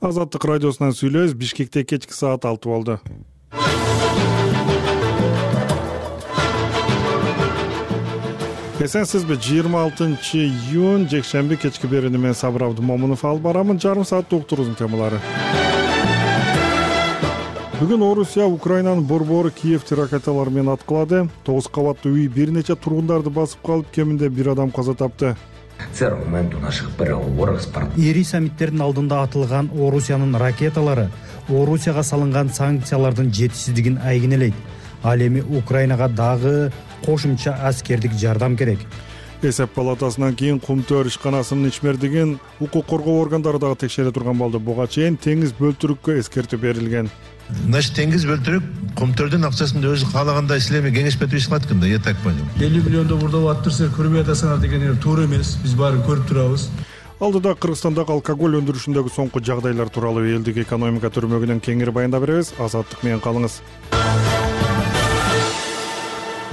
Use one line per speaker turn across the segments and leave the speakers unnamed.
Азаттык радиосунан сүйлөбүз. Бишкекте кечки саат 6 болду. Эсенсизби? 26-июнь жекшемби кечки берүүнү мен Сабыр Абдымомунов алып барамын. Жарым сааттык уктуруунун темалары. Бүгүн Орусия Украинанын борбору Киевти ракеталар менен аткылады. 9 кабаттуу үй бир нече тургундарды басып калып, кеминде бир адам каза тапты.
Це аргумент у наших переговорах с партнерами.
Ири саммиттердин алдында атылган Орусиянын ракеталары Орусияга салынган санкциялардын жетишсиздигин айгинелейт. Ал эми Украинага дагы кошумча аскердик жардам керек.
Эсеп палатасынан кийин Кумтөр ишканасынын ичмердигин укук коргоо органдары дагы текшере турган болду. Буга чейин теңиз бөлтүрүккө эскертүү берилген.
Значит, теңиз бөлтүрүк Кумтөрдүн акчасын өзү каалагандай силерме кеңешпетип иш кылат экен да, я так понял.
50 миллиондо бурда аттырса көрбөй атасыңар деген туура эмес. Биз баарын көрүп турабыз.
Алдыда Кыргызстандагы алкоголь өндүрүшүндөгү соңку жагдайлар тууралуу элдик экономика төрмөгүнөн кеңири баяндап беребиз. Азаттык менен калыңыз.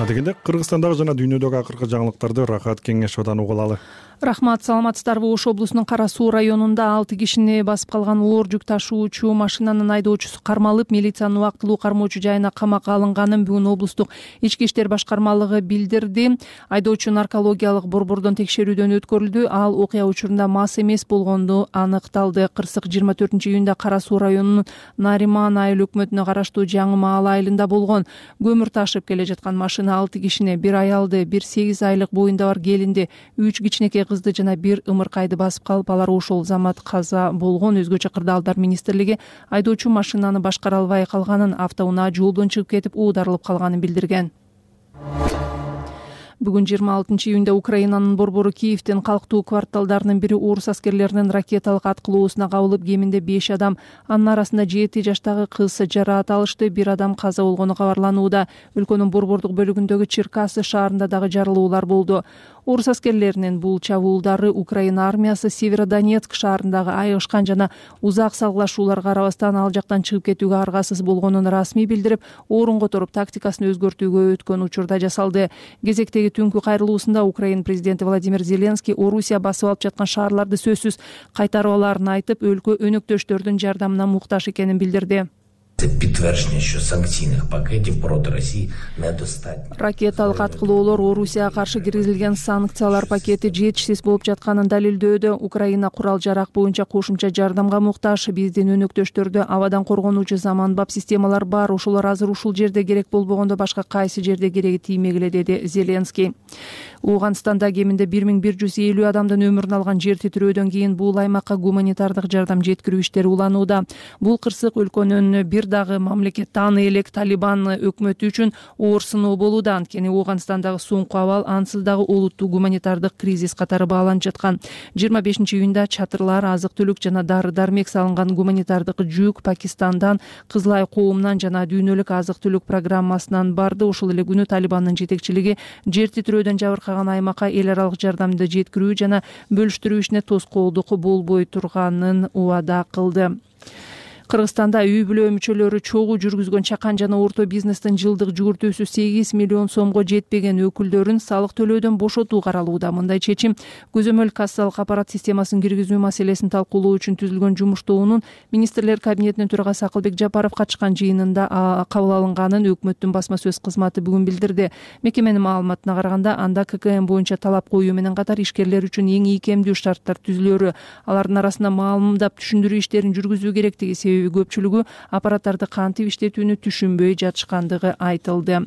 Адегенде Кыргызстандагы жана дүйнөдөгү акыркы жаңылыктарды Рахат Кеңешовдон угулалы.
Рахмат, саламатсыздарбы? Ош облусунун Кара Суу районунда 6 кишини басып калган оор жүк ташуучу машинанын айдоочусу кармалып, милициянын убактылуу кармоочу жайына камакка алынганын бүгүн облустук ички иштер башкармалыгы билдирди. Айдоочу наркологиялык борбордон текшерүүдөн өткөрүлдү. Ал окуя учурунда мас эмес болгону аныкталды. Кырсык 24-июнда Кара Суу районунун Нариман айыл өкмөтүнө караштуу Жаңы Маал айылында болгон. Көмүр ташып келе жаткан машина 6 кишини, бир аялды, бир 8 айлык боюнда бар келинди, 3 кичинекей кызды жана бир ымыркайды басып калып, алар ошол замат каза болгон. Өзгөчө Кырдаалдар министрлиги айдоочу машинаны башкара албай калганын, автоунаа жолдон чыгып кетип уударылып калганын билдирген. Бүгүн 26-июнда Украинанын борбору Киевтин калктуу кварталдарынын бири орус аскерлеринин ракеталык аткылоосуна кабылып, кеминде 5 адам, анын арасында 7 жаштагы кыз жараат алышты. Бир адам каза болгону кабарланууда. Өлкөнүн борбордук бөлүгүндөгү Черкасы шаарында дагы жарылуулар болду. Орус аскерлеринин бул чабуулдары Украина армиясы Северодонецк шаарындагы айыгышкан жана узак салгылашууларга карабастан ал жактан чыгып кетүүгө аргасыз болгонун расмий билдирип, орун которуп тактикасын өзгөртүүгө өткөн учурда жасалды. Кезектеги түнкү кайрылуусунда Украина президенти Владимир Зеленский Орусия басып алып жаткан шаарларды сөзсүз кайтарып алаарын айтып, өлкө өнөктөштөрдүн жардамына муктаж экенин билдирди.
Підтвердження, що санкційних пакетів проти Росії недостатньо.
Ракеталык аткылоолор Орусияга каршы киргизилген санкциялар пакети жетишсиз болуп жатканын далилдөөдө. Украина курал-жарак боюнча кошумча жардамга муктаж. Биздин өнөктөштөрдө абадан коргонуучу заманбап системалар бар. Ошолор азыр ушул жерде керек болбогондо башка кайсы жерде кереги тиймегиле, деди Зеленский. Ооганстанда кеминде 1150 адамдын өмүрүн алган жер титирөөдөн кийин бул аймакка гуманитардык жардам жеткирүү иштери уланууда. Бул кырсык өлкөнүн бир дагы мамлекет тааны элек Талибан өкмөтү үчүн оор сыноо болууда. Анткени Ооганстандагы соңку абал ансыз дагы олуттуу гуманитардык кризис катары бааланып жаткан. 25-июнда чатырлар, азык-түлүк жана дары-дармек салынган гуманитардык жүк Пакистандан, Кызыл Ай коомунан жана дүйнөлүк азык-түлүк программасынан барды. Ошол эле күнү Талибандын жетекчилиги жер титирөөдөн жабыркаган аймакка эл аралык жардамды жеткирүү жана бөлүштүрүү ишине тоскоолдук болбой турганын убада кылды. Кыргызстанда үй бүлө мүчөлөрү чогуу жүргүзгөн чакан жана орто бизнестин жылдык жүгүртүүсү 8 миллион сомго жетпеген өкүлдөрүн салык төлөөдөн бошотуу каралууда. Мындай чечим көзөмөл кассалык аппарат системасын киргизүү маселесин талкуулоо үчүн түзүлгөн жумуш тобунун министрлер кабинетинин төрагасы Акылбек Жапаров катышкан жыйынында кабыл алынганын өкмөттүн басма сөз кызматы бүгүн билдирди. Мекеменин маалыматына караганда, анда ККМ боюнча талап коюу менен катар ишкерлер үчүн эң ийкемдүү шарттар түзүлөрү, алардын арасында маалымдап түшүндүрүү иштерин жүргүзүү керектиги, себеби көпчүлүгү аппараттарды кантип иштетүүнү түшүнбөй жатышкандыгы айтылды.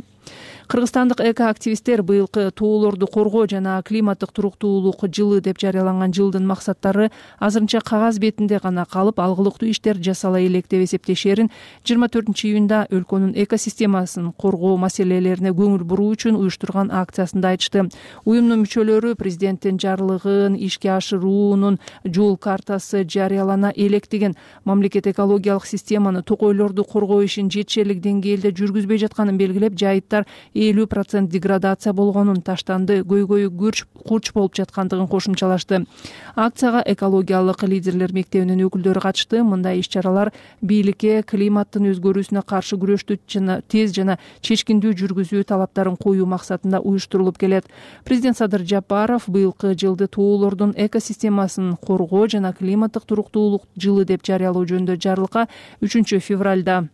Кыргызстандык эко-активисттер быйылкы тоолорду коргоо жана климаттык туруктуулук жылы деп жарыяланган жылдын максаттары азырынча кагаз бетинде гана калып, алгылыктуу иштер жасала элек деп эсептешерин 24-июнда өлкөнүн экосистемасын коргоо маселелерине көңүл буруу үчүн уюштурган акциясында айтышты. Уюмдун мүчөлөрү президенттин жарлыгын ишке ашыруунун жол картасы жарыялана элек деген, мамлекет экологиялык системаны, токойлорду коргоо ишин жетишерлик деңгээлде жүргүзбөй жатканын белгилеп, жайытта аймактар 50% деградация болгонун, таштанды, көйгөйү курч болуп жаткандыгын кошумчалашты. Акцияга экологиялык лидерлер мектебинин өкүлдөрү катышты. Мындай иш-чаралар бийликке климаттын өзгөрүүсүнө каршы күрөштү тез жана чечкиндүү жүргүзүү талаптарын коюу максатында уюштурулуп келет. Президент Садыр Жапаров быйылкы жылды тоолордун экосистемасын коргоо жана климаттык туруктуулук жылы деп жарыялоо жөнүндө жарлыкка 3 февралда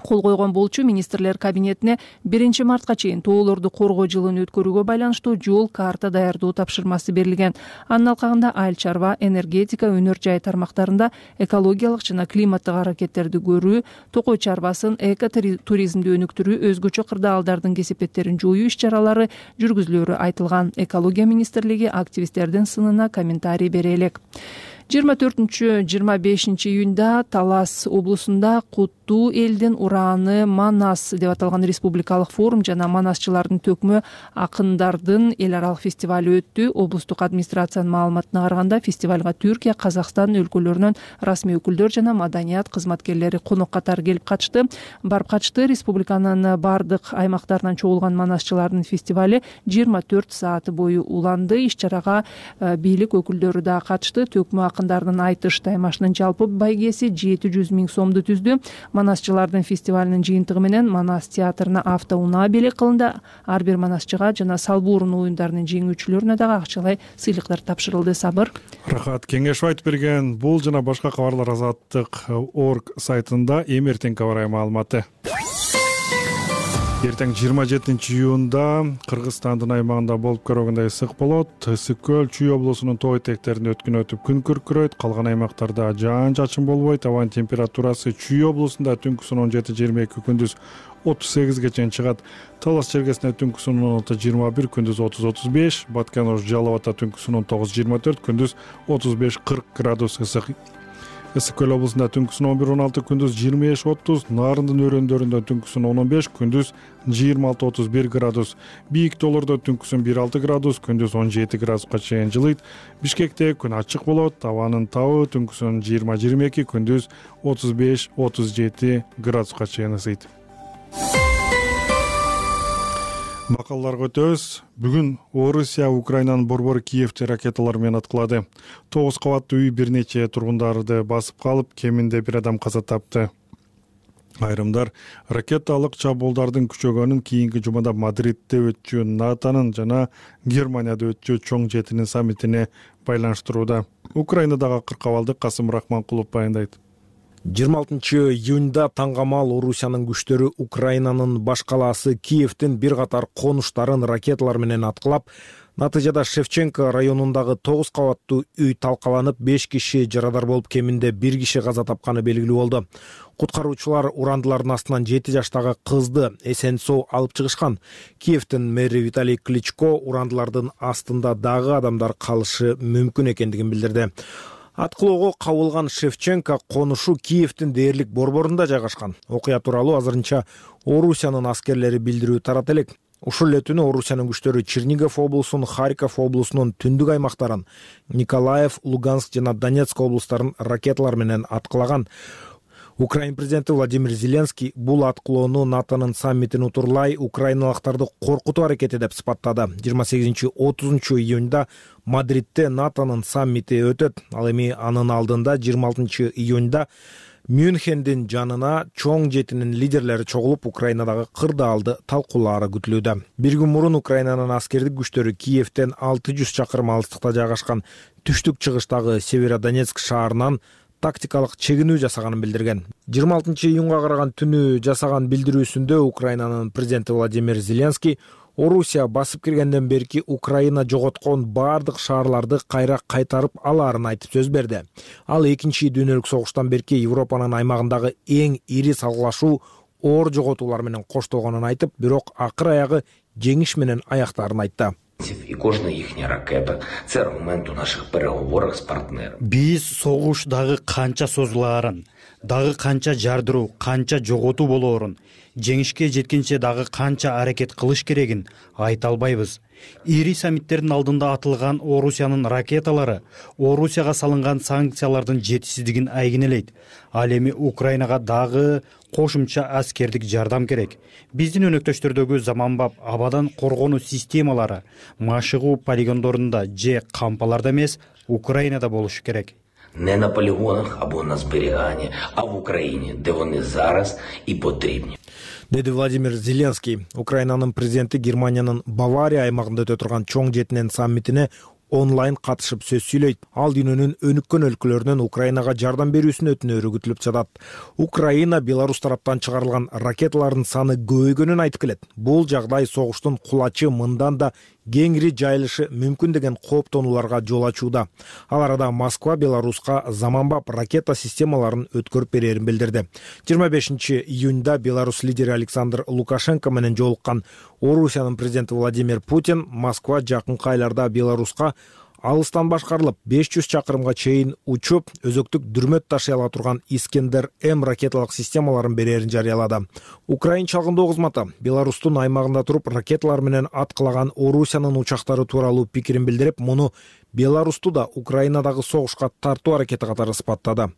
кол койгон болчу. Министрлер кабинетине 1 мартка чейин тоолорду коргоо жылын өткөрүүгө байланыштуу жол карта даярдоо тапшырмасы берилген. Анын алкагында айыл чарба, энергетика, өнөр жай тармактарында экологиялык жана климаттык аракеттерди көрүү, токой чарбасын, экотуризмди өнүктүрүү, өзгөчө кырдаалдардын кесепеттерин жоюу иш-чаралары жүргүзүлөрү айтылган. Экология министрлиги активисттердин сынына комментарий бере элек. 24-25 июнда Талас облусунда Куттуу элдин ураны Манас деп аталган республикалык форум жана манасчылардын төкмө акындардын эл аралык фестивали өттү. Облустук администрациянын маалыматына караганда фестивалга Түркия, Казакстан өлкөлөрүнөн расмий өкүлдөр жана маданият кызматкерлери конок катары келип катышты. Республиканын бардык аймактарынан чогулган манасчылардын фестивали 24 саат бою уланды. Иш-чарага бийлик өкүлдөрү да катышты. Төкмө акындардын айтыш таймашынын жалпы байгеси 700 000 сомду түздү. Манасчылардын фестивалынын жыйынтыгы менен Манас театрына автоунаа белек кылынды. Ар бир манасчыга жана салбуурун оюндарынын жеңүүчүлөрүнө дагы акчалай сыйлыктар тапшырылды. Сабыр.
Рахат Кеңешов айтып берген. Бул жана башка кабарлар Азаттык.org сайтында эртең кабар маалыматы. Эртең 27 июнда Кыргызстандын аймагында болуп көргөндөй ысык болот. Ысык көл Чүй облусунун тоо этектеринде өткөн өтүп күн күркүрөйт. Калган аймактарда жаан-чачын болбойт. Абанын температурасы Чүй облусунда түнкүсүн 17-22, күндүз 38ге чейин чыгат. Талас чергесинде түнкүсүн 16-21, күндүз 30-35, Баткен Жалал Абадта түнкүсүн 19-24, күндүз 35-40 градус ысык. Ысык көл облусунда түнкүсүн 11-16, күндүз 25-30, Нарындын өрөөндөрүндө түнкүсүн 10-15, күндүз 26-31 градус. Бийик тоолордо түнкүсүн 1-6 градус, күндүз 17 градуска чейин жылыйт. Бишкекте күн ачык болот. Абанын табы түнкүсүн 20-22, күндүз 35-37 градуска чейин ысыйт. Макалларга өтөбүз. Бүгүн Орусия Украинанын борбор Киевти ракеталар менен аткылады. 9 кабаттуу үй бир нече тургундарды басып калып, кеминде бир адам каза тапты. Айрымдар ракеталык чабуулдардын күчөгөнүн кийинки жумада Мадридде өтчү НАТОнун жана Германияда өтчү чоң жетинин саммитине байланыштырууда. Украинадагы кыркабалды Касым Рахманкулов баяндайт.
26 июнда таңгамал Орусиянын күчтөрү Украинанын баш калаасы Киевдин бир катар конуштарын ракеталар менен аткылап, натыйжада Шевченко районундагы 9 кабаттуу үй талкаланып, 5 киши жарадар болуп, кеминде 1 киши каза тапканы белгилүү болду. Куткаруучулар урандылардын астынан 7 жаштагы кызды эсен-соо алып чыгышкан. Киевдин мэри Виталий Кличко урандылардын астында дагы адамдар калышы мүмкүн экендигин билдирди. Аткылоого кабылган Шевченко конушу Киевдин дээрлик борборунда жайгашкан. Окуя тууралуу азырынча Орусиянын аскерлери билдирүү тарата элек. Ушул эле түнү Орусиянын күчтөрү Чернигов облусунун, Харьков облусунун түндүк аймактарын, Николаев, Луганск жана Донецк облустарын ракеталар менен аткылаган. Украин президенти Владимир Зеленский бул аткылоону НАТОнун саммитин утурлай украиналыктарды коркутуу аракети деп сыпаттады. 28-30 июнда Мадридде НАТОнун саммити өтөт. Ал эми анын алдында 26 июнда Мюнхендин жанына чоң жетинин лидерлери чогулуп, Украинадагы кырдаалды талкуулаары күтүлүүдө. Бир күн мурун Украинанын аскердик күчтөрү Киевден 600 чакырым алыстыкта жайгашкан түштүк чыгыштагы Северодонецк шаарынан тактикалык чегинүү жасаганын билдирген. 26 июнга караган түнү жасаган билдирүүсүндө Украинанын президенти Владимир Зеленский Орусия басып киргенден берки Украина жоготкон бардык шаарларды кайра кайтарып алаарын айтып сөз берди. Ал 2-нчи дүйнөлүк согуштан берки Европанын аймагындагы эң ири салгылашуу оор жоготуулар менен коштолгонун айтып, бирок акыр аягы жеңиш менен аяктаарын айтты.
И кожна їхня ракета – це аргумент у наших переговорах з партнерами.
Биз согуш дагы канча созулаарын, дагы канча жардыруу, канча жоготуу болоорун, жеңишке жеткенче дагы канча аракет кылыш керегин айта албайбыз. Ири саммиттердин алдында атылган Орусиянын ракеталары Орусияга салынган санкциялардын жетишсиздигин айгинелейт. Ал эми Украинага дагы кошумча аскердик жардам керек. Биздин өнөктөштөрдөгү заманбап абадан коргонуу системалары машыгуу полигондорунда же кампаларда эмес, Украинада болушу керек.
Не на полігонах або на зберіганні, а в Україні, де вони зараз і потрібні.
Деди Владимир Зеленский. Украинанын президенти Германиянын Бавария аймагында өтө турган чоң жетинен саммитине онлайн катышып сөз сүйлөйт. Ал дүйнөнүн өнүккөн өлкөлөрүнөн Украинага жардам берүүсүн өтүнөрү күтүлүп жатат. Украина Беларусь тараптан чыгарылган ракеталардын саны көбөйгөнүн айтып келет. Бул жагдай согуштун кулачы мындан да кеңири жайылышы мүмкүн деген кооптонууларга жол ачууда. Ал арада Москва Беларуска заманбап ракета системаларын өткөрүп берерин билдирди. 25-июнда Беларусь лидери Александр Лукашенко менен жолуккан Орусиянын президенти Владимир Путин Москва жакынкы айларда Беларуска алыстан башкарылып 500 чакырымга чейин учуп, өзөктүк дүрмөт ташый ала турган Искендер-М ракеталык системаларын берерин жарыялады. Украин чалгындоо кызматы Беларустун аймагында туруп ракеталар менен аткылаган Орусиянын учактары тууралуу пикирин билдирип, муну Беларусту да Украинадагы согушка тартуу аракети катары сыпаттады.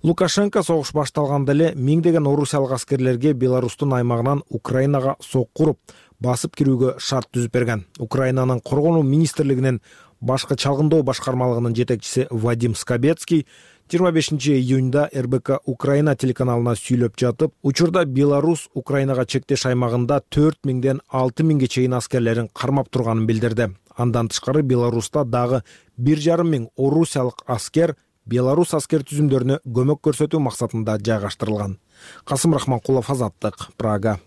Лукашенко согуш башталганда эле миңдеген орусиялык аскерлерге Беларустун аймагынан Украинага соккуруп, басып кирүүгө шарт түзүп берген. Украинанын коргонуу министрлигинин башкы чалгындоо башкармалыгынын жетекчиси Вадим Скобецкий 25-июнда РБК Украина телеканалына сүйлөп жатып, учурда Беларусь Украинага чектеш аймагында 4000ден 6000ге чейин аскерлерин кармап турганын билдирди. Андан тышкары Беларуста дагы 1,5 миң орусиялык аскер Беларусь аскер түзүмдөрүнө көмөк көрсөтүү максатында жайгаштырылган. Касым Рахманкулов, Азаттык, Прага.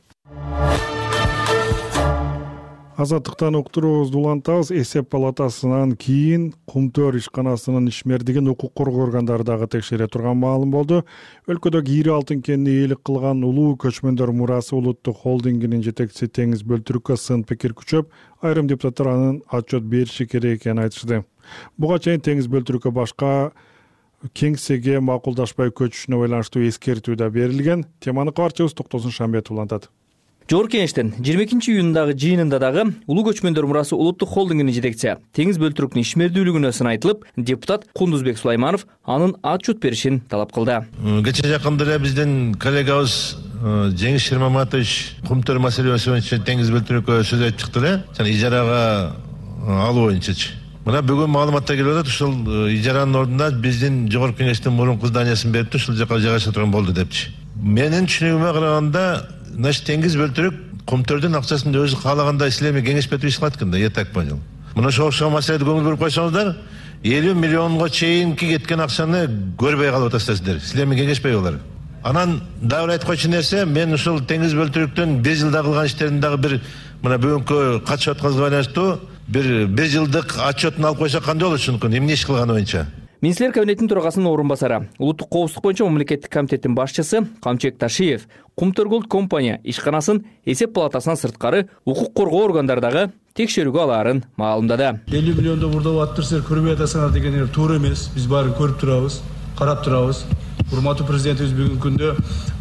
Азаттыктан уктуруубузду улантабыз. Эсеп палатасынан кийин Кумтөр ишканасынын ишмердигин укук коргоо органдары дагы текшере турган маалым болду. Өлкөдөгү ири алтын кенини ээлик кылган Улуу көчмөндөр мурасы улуттук холдингинин жетекчиси Теңиз Бөлтүрүккө сын пикир күчөп, айрым депутаттар анын отчет бериши керек экенин айтышты. Буга чейин Теңиз Бөлтүрүккө башка кеңсеге макулдашпай көчүшүнө байланыштуу эскертүү да берилген. Теманы кабарчыбыз Токтосун Шамбетов улантат.
Жогорку Кеңештин 22-июндагы жыйынында дагы Улуу көчмөндөр мурасы улуттук холдингинин жетекчиси Теңиз Бөлтүрүктүн ишмердүүлүгүнө сын айтылып, депутат Кундузбек Сулайманов анын отчет беришин талап кылды.
Кече жакында эле биздин коллегабыз Жеңиш Шермаматович Кумтөр маселеси боюнча Теңиз Бөлтүрүккө сөз айтып чыкты эле. Жана ижарага алуу боюнчачы. Мына бүгүн маалыматта келип атат, ушул ижаранын ордуна биздин Жогорку Кеңештин мурунку зданиясын берип, ушул жака жайгаша турган болду депчи. Менин түшүнүгүмө караганда, значит, Теңиз Бөлтүрүк Кумтөрдүн акчасын өзү каалагандай силерме кеңешпетип иш кылат экен да, я так понял. Мына ошол маселеде көңүл буруп койсоңуздар, 50 миллионго чейинки кеткен акчаны көрбөй калып атасыздар. Силерме кеңешпей болор. Анан дагы айтып койчу нерсе, мен ушул Теңиз Бөлтүрүктүн 1 жылда кылган иштерин дагы бир мына бүгүнкү катышып атканыбызга байланыштуу бир жылдык отчетун алып койсок кандай болот ушунукун, эмне иш кылганы боюнча.
Министрлер кабинетинин төрагасынын орун басары, улуттук коопсуздук боюнча мамлекеттик комитеттин башчысы Камчек Ташиев Кумтөр Голд компания ишканасын эсеп палатасынан сырткары укук коргоо органдардагы текшерүүгө алаарын маалымдады.
50 миллионду бурдап аттырсыздар, көрбөй атасыңар деген туура эмес. Биз баарын көрүп турабыз, карап турабыз. Урматтуу президентибиз бүгүнкү күндө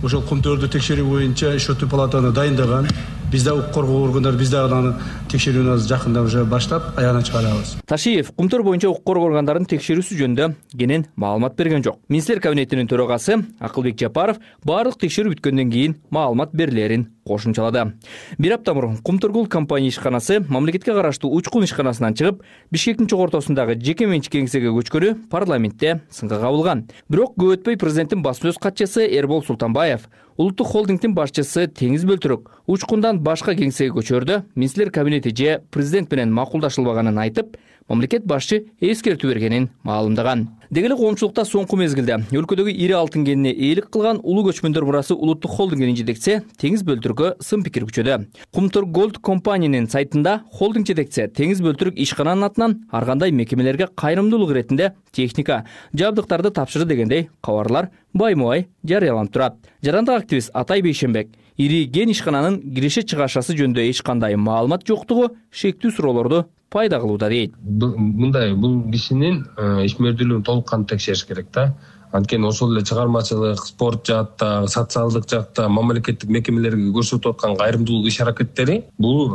ошол Кумтөрдү текшерүү боюнча иштөтүү палатаны дайындаган. Биз да укук коргоо органдары биз дагы анын текшерүүнү жакында уже баштап аягына чыгарабыз. Ташиев
Кумтөр боюнча укук коргоо органдарынын текшерүүсү жөнүндө кенен маалымат берген жок. Министрлер кабинетинин төрагасы Акылбек Жапаров баардык текшерүү бүткөндөн кийин маалымат берилерин кошумчалады. Бир апта мурун Кумтөр Голд компания ишканасы мамлекетке караштуу Учкун ишканасынан чыгып, Бишкектин чогортосундагы жеке менчик кеңсеге көчкөнү парламентте сынга кабылган. Бирок көп өтпөй президенттин басма сөз катчысы Эрбол Султанбаев улуттук холдингдин башчысы Теңиз Бөлтүрүк Учкундан башка кеңсеге көчөрдө министрлер кабинети же президент менен макулдашылбаганын айтып, мамлекет башчы эскертүү бергенин маалымдаган. Деги эле коомчулукта соңку мезгилде өлкөдөгү ири алтын кенине ээлик кылган Улуу көчмөндөр мурасы улуттук холдингинин жетекчиси Теңиз Бөлтүрүккө сын пикир күчөдү. Кумтөр Голд компаниянын сайтында холдинг жетекчиси Теңиз Бөлтүрүк ишкананын атынан ар кандай мекемелерге кайрымдуулук иретинде техника, жабдыктарды тапшырды дегендей кабарлар байма-бай жарыяланып турат. Жарандык активист Атай Бейшенбек ири кен ишкананын киреше чыгашасы жөнүндө эч кандай маалымат жоктугу шектүү суроолорду пайда кылууда дейт.
Мындай, бул кишинин ишмердүүлүгүн толук кантуу текшериш керек да. Анткени ошол эле чыгармачылык, спорт жаатта, социалдык жакта мамлекеттик мекемелерге көрсөтүп аткан кайрымдуулук иш-аракеттери бул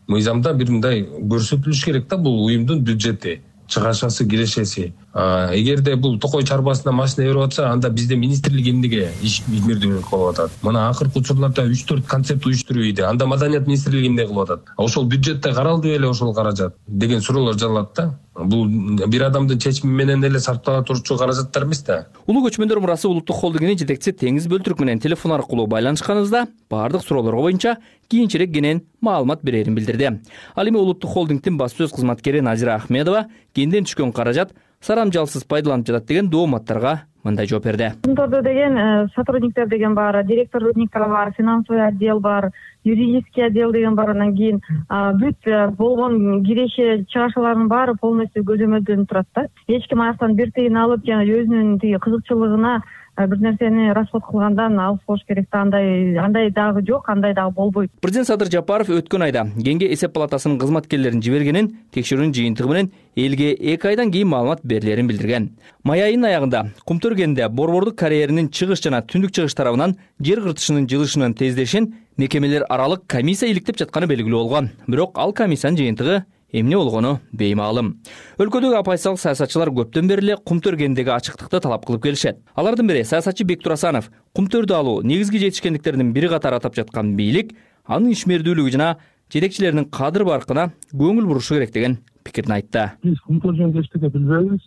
мыйзамда бир мындай көрсөтүлүш керек да, бул уюмдун бюджети, чыгашасы, кирешеси. Эгерде бул токой чарбасына машина берип атса, анда бизде министрлик эмнеге иш ийгердүүлүк кылып атат? Мына акыркы учурларда 3-4 концепт уюштуруп ийди. Анда маданият министрлиги эмне кылып атат? Ошол бюджетте каралды беле ошол каражат деген суроолор жаралат да. Бул бир адамдын чечими менен эле сарптала турчу каражаттар эмес да.
Улуу көчмөндөр мурасы улуттук холдингинин жетекчиси Теңиз Бөлтүрк менен телефон аркылуу байланышканыбызда бардык суроолорго боюнча кийинчерээк кенен маалымат берерин билдирди. Ал эми улуттук холдингдин басма сөз кызматкери Назира Ахмедова кенден түшкөн каражат сарамжалсыз пайдаланып жатат деген дооматтарга мындай жооп берди.
Контордо деген сотрудниктер деген бар, директорлуктар бар, финансовый отдел бар, юридический отдел деген бар. Андан кийин бүт болгон киреше чыгашалардын баары полностью көзөмөлдөнүп турат да. Эч ким аяктан бир тыйын алып, жана өзүнүн тиги кызыкчылыгына бир нерсени расход кылгандан алыс болуш керек да. Андай дагы жок, андай дагы болбойт.
Президент Садыр Жапаров өткөн айда Кеңге эсеп палатасынын кызматкерлерин жибергенин, текшерүүнүн жыйынтыгы менен элге 2 айдан кийин маалымат берилерин билдирген. Май айынын аягында Кумтөр кенинде борбордук карьеринин чыгыш жана түндүк чыгыш тарабынан жер кыртышынын жылышынын тездешин мекемелер аралык комиссия иликтеп жатканы белгилүү болгон. Бирок ал комиссиянын жыйынтыгы эмне болгону беймаалым. Өлкөдөгү оппозициялык саясатчылар көптөн бери эле Кумтөр кениндеги ачыктыкты талап кылып келишет. Алардын бири саясатчы Бектур Асанов Кумтөрдү алуу негизги жетишкендиктердин бири катары атап жаткан бийлик, анын ишмердүүлүгү жана жетекчилеринин кадыр баркына көңүл бурушу керек деген пикирин айтты.
Биз Кумтөр кенинде эчтеке билбейбиз.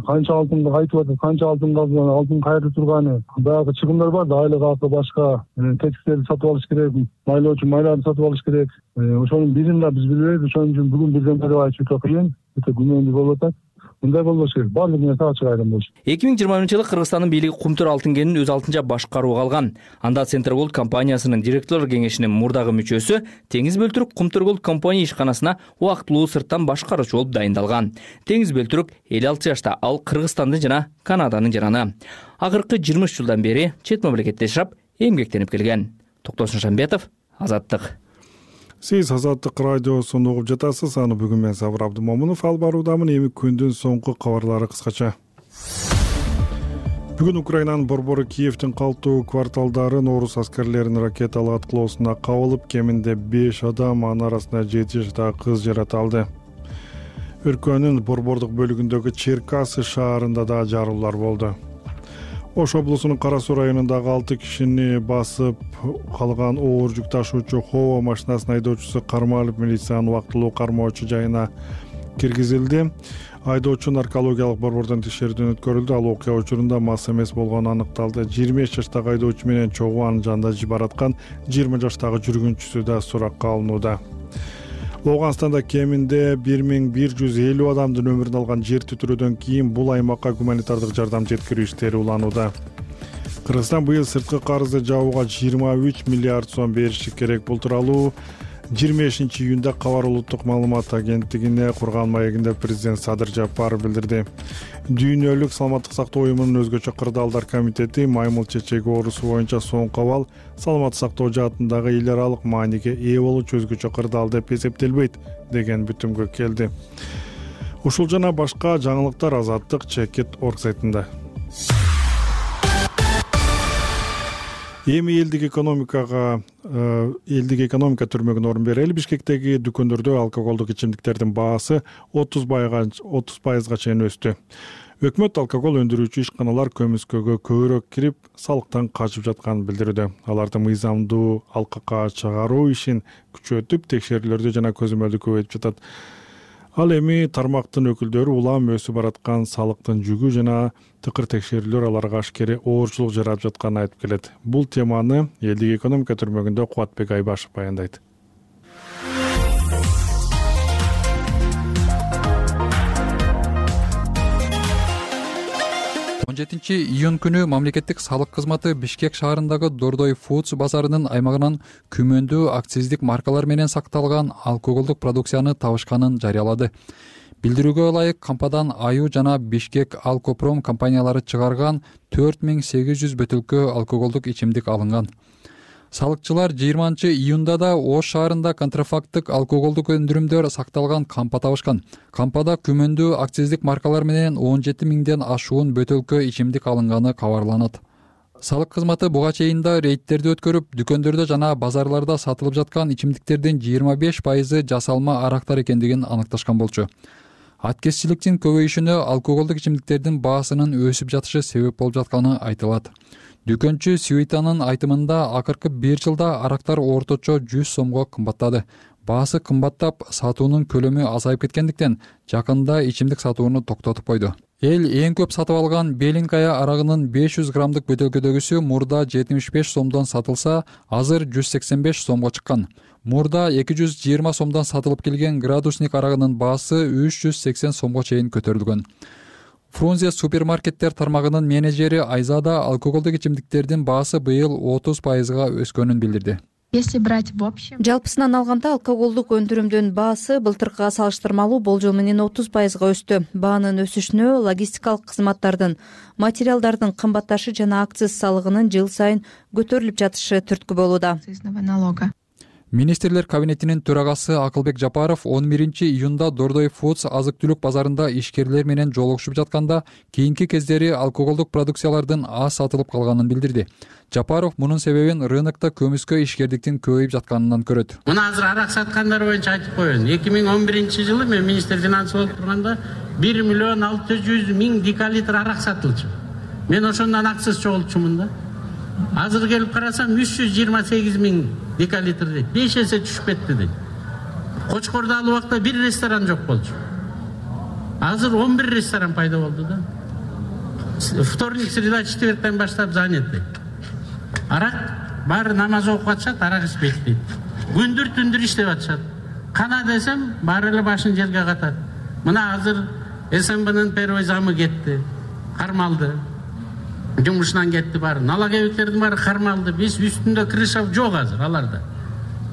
Канча алтынды кайтып атат, канча алтын казган, алтын кайрылып турганы, баягы чыгымдар бар да, айлык акы башка, тетиктерди сатып алыш керек, майлоочу майларды сатып алыш керек. Ошонун бирин да биз билбейбиз. Ошон үчүн бүгүн бирден бери айтып өтө кыйын, өтө күмөндүү болуп атат. Мындай болбош керек. Баардык нерсе ачык айрым болуш.
2020 жылы Кыргызстандын бийлиги Кумтөр алтын кенин өз алтынча башкарууга алган. Анда Центр Голд компаниясынын директорлор кеңешинин мурдагы мүчөсү Теңиз Бөлтүрк Кумтөр Голд компания ишканасына убактылуу сырттан башкаруучу болуп дайындалган. Теңиз Бөлтүрк 56 жашта, ал Кыргызстандын жана Канаданын жараны. Акыркы 20 жылдан бери чет мамлекетте жашап, эмгектенип келген. Токтосун Шамбетов, Азаттык.
Сиз Азаттык радиосун угуп жатасыз. Аны бүгүн мен Сабыр Абдымомунов алып баруудамын. Эми күндүн соңку кабарлары кыскача. Бүгүн Украинанын борбору Киевдин калктуу кварталдарын орус аскерлеринин ракеталык аткылоосуна кабылып, кеминде 5 адам, анын арасында 7 жаштагы кыз жаратылды. Өлкөнүн борбордук бөлүгүндөгү Черкасы шаарында да жарылуулар болду. Ош облусунун Кара Суу районундагы 6 кишини басып калган оор жүк ташуучу Хово машинасынын айдоочусу кармалып, милициянын убактылуу кармоочу жайына киргизилди. Айдоочу наркологиялык борбордон текшерүүдөн өткөрүлдү. Ал окуя учурунда мас эмес болгону аныкталды. 25 жаштагы айдоочу менен чогуу анын жанында бараткан 20 жаштагы жүргүнчүсү да суракка алынууда. Луганстанда кеминде 1150 адамдын өмүрүн алган жер титирөөдөн кийин бул аймакка гуманитардык жардам жеткирүү иштери уланууда. Кыргызстан быйыл сырткы карызды жабууга 23 миллиард сом бериши керек. Бул тууралуу 25-июнда Кабар улуттук маалымат агенттигине курган маегинде президент Садыр Жапаров билдирди. Дүйнөлүк саламаттык сактоо уюмунун өзгөчө кырдаалдар комитети маймыл чечеги оорусу боюнча соңку абал саламаттык сактоо жаатындагы эл аралык мааниге ээ болуучу өзгөчө кырдаал деп эсептелбейт деген бүтүмгө келди. Ушул жана башка жаңылыктар Азаттык Чекит.org сайтында. Эми элдик экономика түрмөгүнө орун берели. Бишкектеги дүкөндөрдө алкоголдук ичимдиктердин баасы 30% чейин өстү. Өкмөт алкогол өндүрүүчү ишканалар көмүскөгө көбүрөөк кирип, салыктан качып жатканын билдирүүдө. Аларды мыйзамдуу алкакка чыгаруу ишин күчөтүп, текшерүүлөрдү жана көзөмөлдү көбөйтүп жатат. Ал эми тармактын өкүлдөрү улам өсүп бараткан салыктын жүгү жана тыкыр текшерүүлөр аларга ашкере оорчулук жаратып жатканын айтып келет. Бул теманы элдик экономика түрмөгүндө Кубатбек Айбашев баяндайт.
17-июнь күнү мамлекеттик салык кызматы Бишкек шаарындагы Дордой Foods базарынын аймагынан күмөндүү акциздик маркалар менен сакталган алкоголдук продукцияны табышканын жарыялады. Билдирүүгө ылайык, кампадан Аю жана Бишкек Алкопром компаниялары чыгарган 4800 бөтөлкө алкоголдук ичимдик алынган. Салыкчылар 20-июнда да Ош шаарында контрафакттык алкоголдук өндүрүмдөр сакталган кампа табышкан. Кампада күмөндүү акциздик маркалар менен 17 миңден ашуун бөтөлкө ичимдик алынганы кабарланат. Салык кызматы буга чейин да рейдтерди өткөрүп, дүкөндөрдө жана базарларда сатылып жаткан ичимдиктердин 25% жасалма арактар экендигин аныкташкан болчу. Аткезчиликтин көбөйүшүнө алкоголдук ичимдиктердин баасынын өсүп жатышы себеп болуп жатканы айтылат. Дүкөнчү Сюитанын айтымында акыркы 1 жылда арактар орточо 100 сомго кымбаттады. Баасы кымбаттап, сатуунун көлөмү азайып кеткендиктен жакында ичимдик сатууну токтотуп койду. Эл эң көп сатып алган Белинкая арагынын 500 граммдык бөтөлкөдөгүсү мурда 75 сомдон сатылса, азыр 185 сомго чыккан. Мурда 220 сомдон сатылып келген градусник арагынын баасы 380 сомго чейин көтөрүлгөн. Фрунзе супермаркеттер тармагынын менеджери Айзада алкоголдук ичимдиктердин баасы быйыл 30%га өскөнүн билдирди.
Жалпысынан алганда алкоголдук өндүрүмдүн баасы былтыркыга салыштырмалуу болжол менен 30%га өстү. Баанын өсүшүнө логистикалык кызматтардын, материалдардын кымбатташы жана акциз салыгынын жыл сайын көтөрүлүп жатышы түрткү болууда.
Министрлер кабинетинин төрагасы Акылбек Жапаров 11-июнда Дордой Foods азык-түлүк базарында ишкерлер менен жолугушуп жатканда кийинки кездери алкоголдук продукциялардын аз сатылып калганын билдирди. Жапаров мунун себебин рынокто көмүскө ишкердиктин көбөйүп жатканынан көрөт.
Мына азыр арак саткандар боюнча айтып коеюн. 2011-жылы мен министр финансы болуп турганда 1.600.000 декалитр арак сатылчу. Мен ошондон акциз чогултчумун да. Азыр келип карасам 328.000 декалитр дейт. 5 эсе түшүп кетти дейт. Кочкордо ал убакта бир ресторан жок болчу. Азыр 11 ресторан пайда болду да. Вторник, среда, четвертен баштап заняты. Арак баары намаз окуп атышат, арак ичпейт дейт. Күндүр түндүр иштеп атышат. Кана десем баары эле башын жерге катат. Мына азыр СМБнын первый замы кетти, кармалды. Жумушунан кетти баары. Налоговеттердин баары кармалды. Биз үстүндө крыша жок азыр аларда.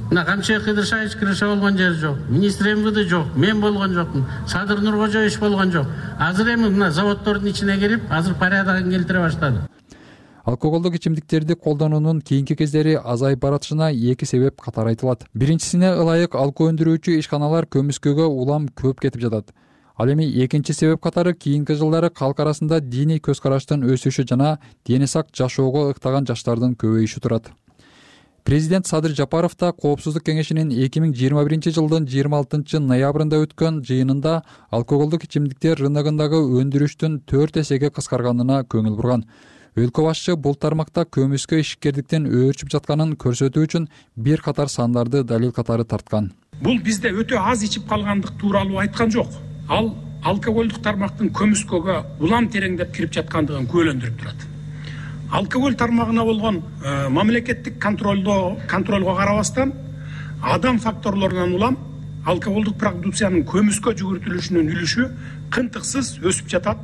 Мына Камчыбек Кыдыршаевич крыша болгон жери жок. Министр МВД жок. Мен болгон жокмун. Садыр Нуркожоевич болгон жок. Азыр эми мына заводдордун ичине кирип, азыр порядогун келтире баштады.
Алкоголдук ичимдиктерди колдонуунун кийинки кездери азайып баратышына 2 себеп катары айтылат. Биринчисине ылайык алкоо өндүрүүчү ишканалар көмүскөгө улам көп кетип жатат. Ал эми экинчи себеп катары кийинки жылдары калк арасында диний көз караштын өсүшү жана дени сак жашоого ыктаган жаштардын көбөйүшү турат. Президент Садыр Жапаров да Коопсуздук кеңешинин 2021-жылдын 26 ноябрында өткөн жыйынында алкоголдук ичимдиктер рыногундагы өндүрүштүн 4 эсеге кыскарганына көңүл бурган. Өлкө башчы бул тармакта көмүскө ишкердиктин өөрчүп жатканын көрсөтүү үчүн бир катар сандарды далил катары тарткан.
Бул бизде өтө аз ичип калгандык тууралуу айткан жок. Ал алкоголдук тармактын көмүскөгө улам тереңдеп кирип жаткандыгын күбөлөндүрүп турат. Алкоголь тармагына болгон мамлекеттик контролго карабастан адам факторлорунан улам алкоголдук продукциянын көмүскө жүгүртүлүшүнүн үлүшү кынтыксыз өсүп жатат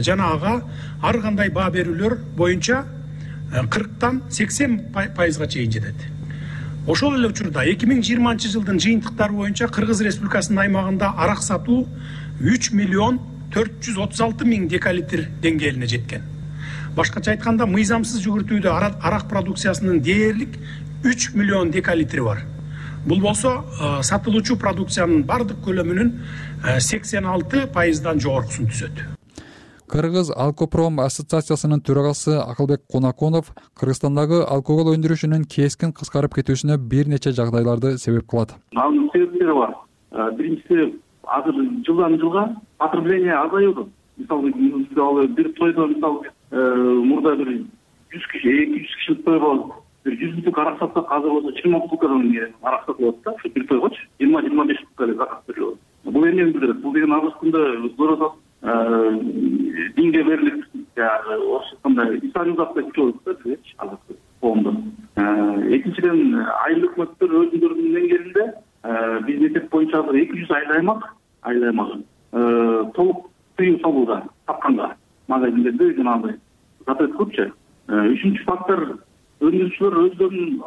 жана ага ар кандай баа берүүлөр боюнча 40-тан 80%га чейин жетет. Ошол эле учурда 2020-жылдын жыйынтыктары боюнча Кыргыз Республикасынын аймагында арак сатуу 3.436.000 декалитр деңгээлине жеткен. Башкача айтканда, мыйзамсыз жүгүртүүдө арак продукциясынын дээрлик 3 миллион декалитри бар. Бул болсо сатылуучу продукциянын бардык көлөмүнүн 86%дан жогоркусун түзөт.
Кыргыз Алкопром ассоциациясынын төрагасы Акылбек Конаконов Кыргызстандагы алкогол өндүрүшүнүн кескин кыскарып кетүүсүнө бир нече жагдайларды себеп кылат.
Анын себептери бар. Биринчиси, азыр жылдан жылга потребление азаюуда. Мисалы, бир тойдо мурда бир 100 киши, 200 кишилик той болуп, бир 100 бутылка арак сатсак, азыр болсо 20 бутылкадан арак сатылат да, ушу бир тойгочу 20-25 бутылка эле заказ берилет. Бул эмнени билдирет? Бул деген азыркы күндө здорово динге берилип, орусча айтканда исламизация күчөп атат да, азыркы коомдо. Экинчиден, айыл өкмөттөр өзүнүн деңгээлинде биз мектеп боюнча азыр 200 айыл аймагы толук тыюу салууда тапканга магазиндерде жанагындай запрет көпчү. Үчүнчү фактор, өндүрүүчүлөр өздөрүнүн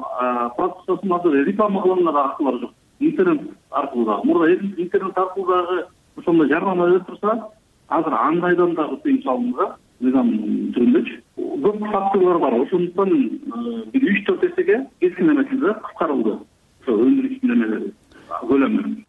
продукциясын азыр реклама кылган аркылуу жок. Интернет аркылуу да. Мурда интернет аркылуу дагы ошондой жарнама берип турса, азыр андайдан дагы тыюу салынды, мыйзам түрүндөчү. көп факторлор бар. Ошондуктан бир 3-4 эсеге кескин эмес кыскарылды ошо өндүрүштүн эмелери көлөмү.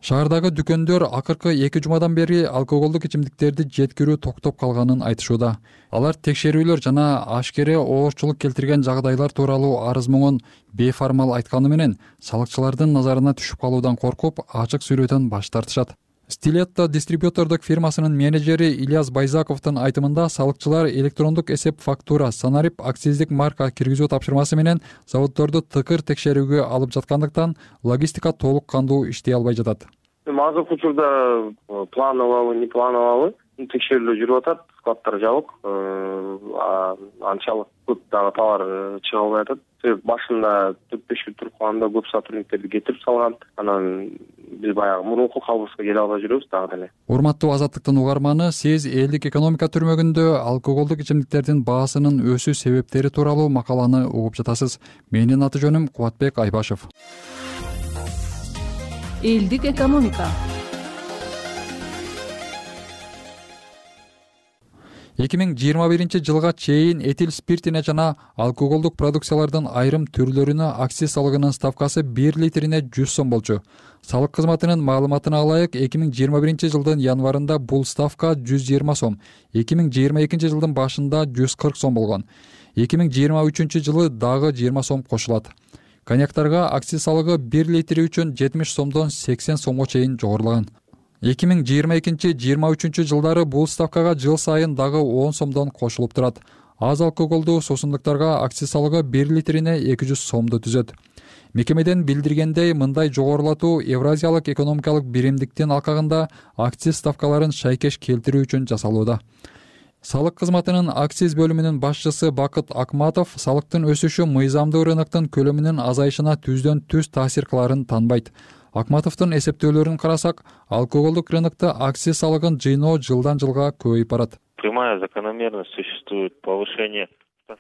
Шаардагы дүкөндөр акыркы 2 жумадан бери алкоголдук ичимдиктерди жеткирүү токтоп калганын айтышууда. Алар текшерүүлөр жана ашкере оорчулук келтирген жагдайлар тууралуу арыз муңун бейформал айтканы менен салыкчылардын назарына түшүп калуудан коркуп, ачык сүйлөудөн баш тартышат. Стилетто дистрибьютордук фирмасынын менеджери Ильяс Байзаковдун айтымында салыкчылар электрондук эсеп фактура санарип акциздик марка киргизүү тапшырмасы менен заводдорду тыкыр текшерүүгө алып жаткандыктан логистика толук кандуу иштей албай жатат.
Азыркы учурда плановалбы, не плановалбы текшерүүлөр жүрүп атат, складдар жабык, анчалык көп дагы товар чыга албай атат. Башында 4-5 күн туруп калганда көп сотрудниктерди кетирип салган, анан биз баягы мурунку калыбыбызга келе албай жүрөбүз дагы деле.
Урматтуу Азаттыктын угарманы, сиз элдик экономика түрмөгүндө алкоголдук ичимдиктердин баасынын өсүү себептери тууралуу макаланы угуп жатасыз. Менин аты жөнүм Кубатбек Айбашев.
Элдик экономика.
2021 жылга чейин этил спиртине жана алкоголдук продукциялардын айрым түрлөрүнө акциз салыгынын ставкасы 1 литрине 100 сом болчу. Салык кызматынын маалыматына ылайык 2021 жылдын январында бул ставка 120 сом, 2022 жылдын башында 140 сом болгон. 2023 жылы дагы 20 сом кошулат. Коньяктарга акциз салыгы 1 литри үчүн 70 сомдон 80 сомго чейин жогорулаган. 2022-23 жылдары бул ставкага жыл сайын дагы 10 сомдон кошулуп турат. Аз алкоголдуу суусундуктарга акциз салыгы 1 литрине 200 сомду түзөт. Мекемеден билдиргендей, мындай жогорулатуу Евразиялык экономикалык биримдиктин алкагында акциз ставкаларын шайкеш келтирүү үчүн жасалууда. Салык кызматынын акциз бөлүмүнүн башчысы Бакыт Акматов салыктын өсүшү мыйзамдуу рыноктун көлөмүнүн азайышына түздөн түз таасир кыларын таанбайт. Акматовдун эсептөөлөрүн карасак, алкоголдук рынокто акциз салыгын жыйноо жылдан жылга көбөйүп барат.
Прямая закономерность существует повышение.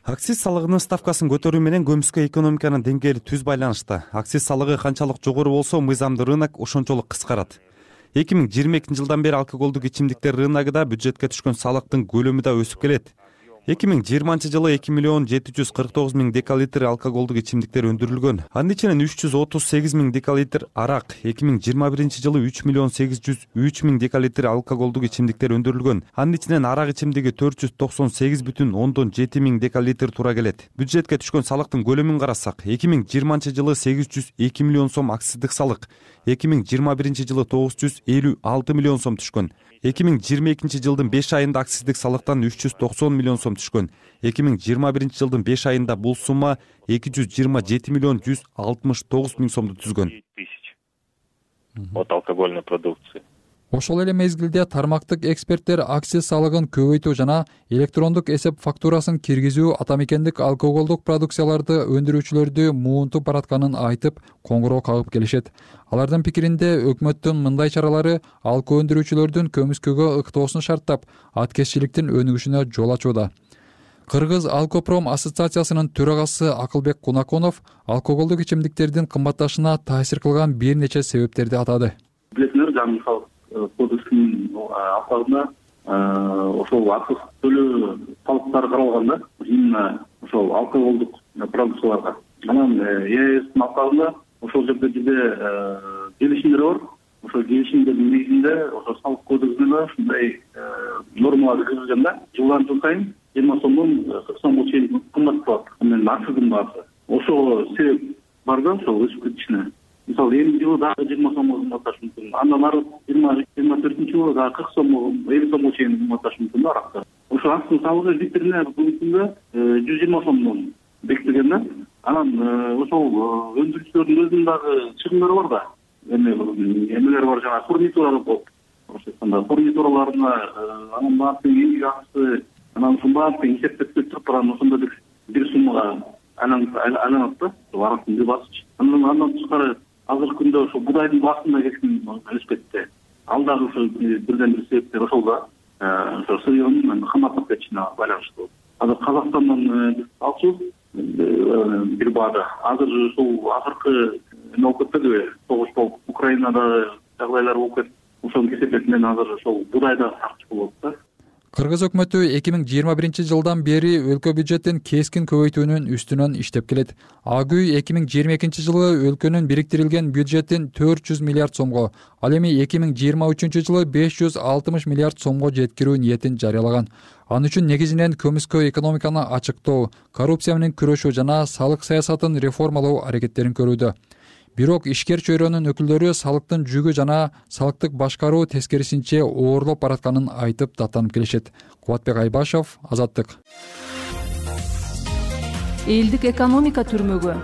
Акциз салыгынын ставкасын көтөрүү менен көмүскө экономиканын деңгээли түз байланышта. Акциз салыгы канчалык жогору болсо, мыйзамдуу рынок ошончолук кыскарат. 2022 жылдан бери алкоголдук ичимдиктер рыногунда бюджетке түшкөн салыктын көлөмү да өсүп келет. 2020 жылы 2 миллион 749 миң декалитр алкоголдук ичимдиктер өндүрүлгөн. Анын ичинен 338 миң декалитр арак, 2021 жылы 3 миллион 803 миң декалитр алкоголдук ичимдиктер өндүрүлгөн. Анын ичинен арак ичимдиги 498,7 миң декалитр туура келет. Бюджетке түшкөн салыктын көлөмүн карасак, 2020 жылы 802 миллион сом акциздик салык, 2021 жылы 956 миллион сом түшкөн. 2022 жылдын 5 айында акциздик салыктан 390 миллион сом түшкөн. 2021 жылдын 5 айында бул сумма 227 миллион 169 миң сомду түзгөн.
От алкогольной продукции.
Ошол эле мезгилде тармактык эксперттер акциз салыгын көбөйтүү жана электрондук эсеп фактурасын киргизүү атамекендик алкоголдук продукцияларды өндүрүүчүлөрдү муунтуп баратканын айтып, коңгуроо кагып келишет. Алардын пикиринде өкмөттүн мындай чаралары алкоо өндүрүүчүлөрдүн көмүскөгө ыктоосун шарттап, аткезчиликтин өнүгүшүнө жол ачууда. Кыргыз Алкопром ассоциациясынын төрагасы Акылбек Кунаконов алкоголдук ичимдиктердин кымбатташына таасир кылган бир нече себептерди атады.
Билесиңер, жаңы кодекстин алкагында ошол акциз төлөө салыктары каралган да, именно ошол алкоголдук продукцияларга. Анан ЕСтин алкагында ошол жерде бизде келишимдер бар. Ошол келишимдердин негизинде ошол салык кодексинде ушундай нормалар киргизилген да, жылдан жыл сайын 20 сомдон 40 сомго чейин кымбатталат. Анан акциздин баасы. Ошол себеп бар да, ошол өсүп кетишине. Мисалы, эми жылы дагы 20 сомго кымбатташы мүмкүн. Андан ары 24 жылы дагы 40 сомго, 50 сомго чейин кымбатташы мүмкүн да аракта. Ошол акциздин салыгы литрине бүгүнкүндө 120 сомдон бекитилген да. Анан ошол өндүрүүчүлөрдүн өзүнүн дагы чыгымдары бар да. Эмелер бар, жана фурнитуралар болуп. Ошондо фурнитураларына анын баардыгы эң жакшысы, анан ушул баардыгы эсептеп туруп, анан ошондо бир суммага айланат да, арактын бир басчы. Андан тышкары азыркы күндө ошо будайдын баасында кесин өсүп кетти. Ал дагы ошо бирден бир себептер ошол да. Ошо сырьёнун кымбаттап кетишине байланыштуу. Азыр Казакстандан алчубуз бир баада. Азыр ушул акыркы эме болуп кетпедиби? Согуш болуп, Украинада жагдайлар болуп кетти. Ошонун кесепети менен азыр ошол будай да сакчы болот да.
Кыргыз өкмөтү 2021-жылдан бери өлкө бюджетин кескин көбөйтүүнүн үстүнөн иштеп келет. АГүй 2022-жылы өлкөнүн бириктирилген бюджетин 400 миллиард сомго, ал эми 2023-жылы 560 миллиард сомго жеткирүү ниетин жарыялаган. Ал үчүн негизинен көмүскө экономиканы ачыктоо, коррупция менен күрөшүү жана салык саясатын реформалоо аракеттерин көрүүдө. Бирок ишкер чөйрөнүн өкүлдөрү салыктын жүгү жана салыктык башкаруу тескерисинче оорлоп баратканын айтып даттанып келишет. Кубатбек Айбашев, Азаттык.
Элдик экономика түрмөгү.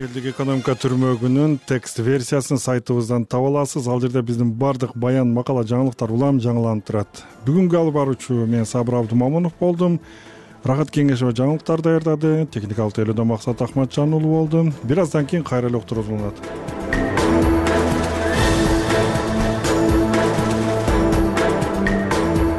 Элдик экономика түрмөгүнүн текст версиясын сайтыбыздан таба аласыз. Ал жерде биздин бардык баян, макала, жаңылыктар улам жаңыланып турат. Бүгүнкү алып баруучу мен Сабыр Абдумамунов болдум. Рахат Кеңешова жаңылыктар даярдады. Техникалык тейлөөдө Максат Ахматжан уулу болду. Бир аздан кийин кайра эле уктурууда болот.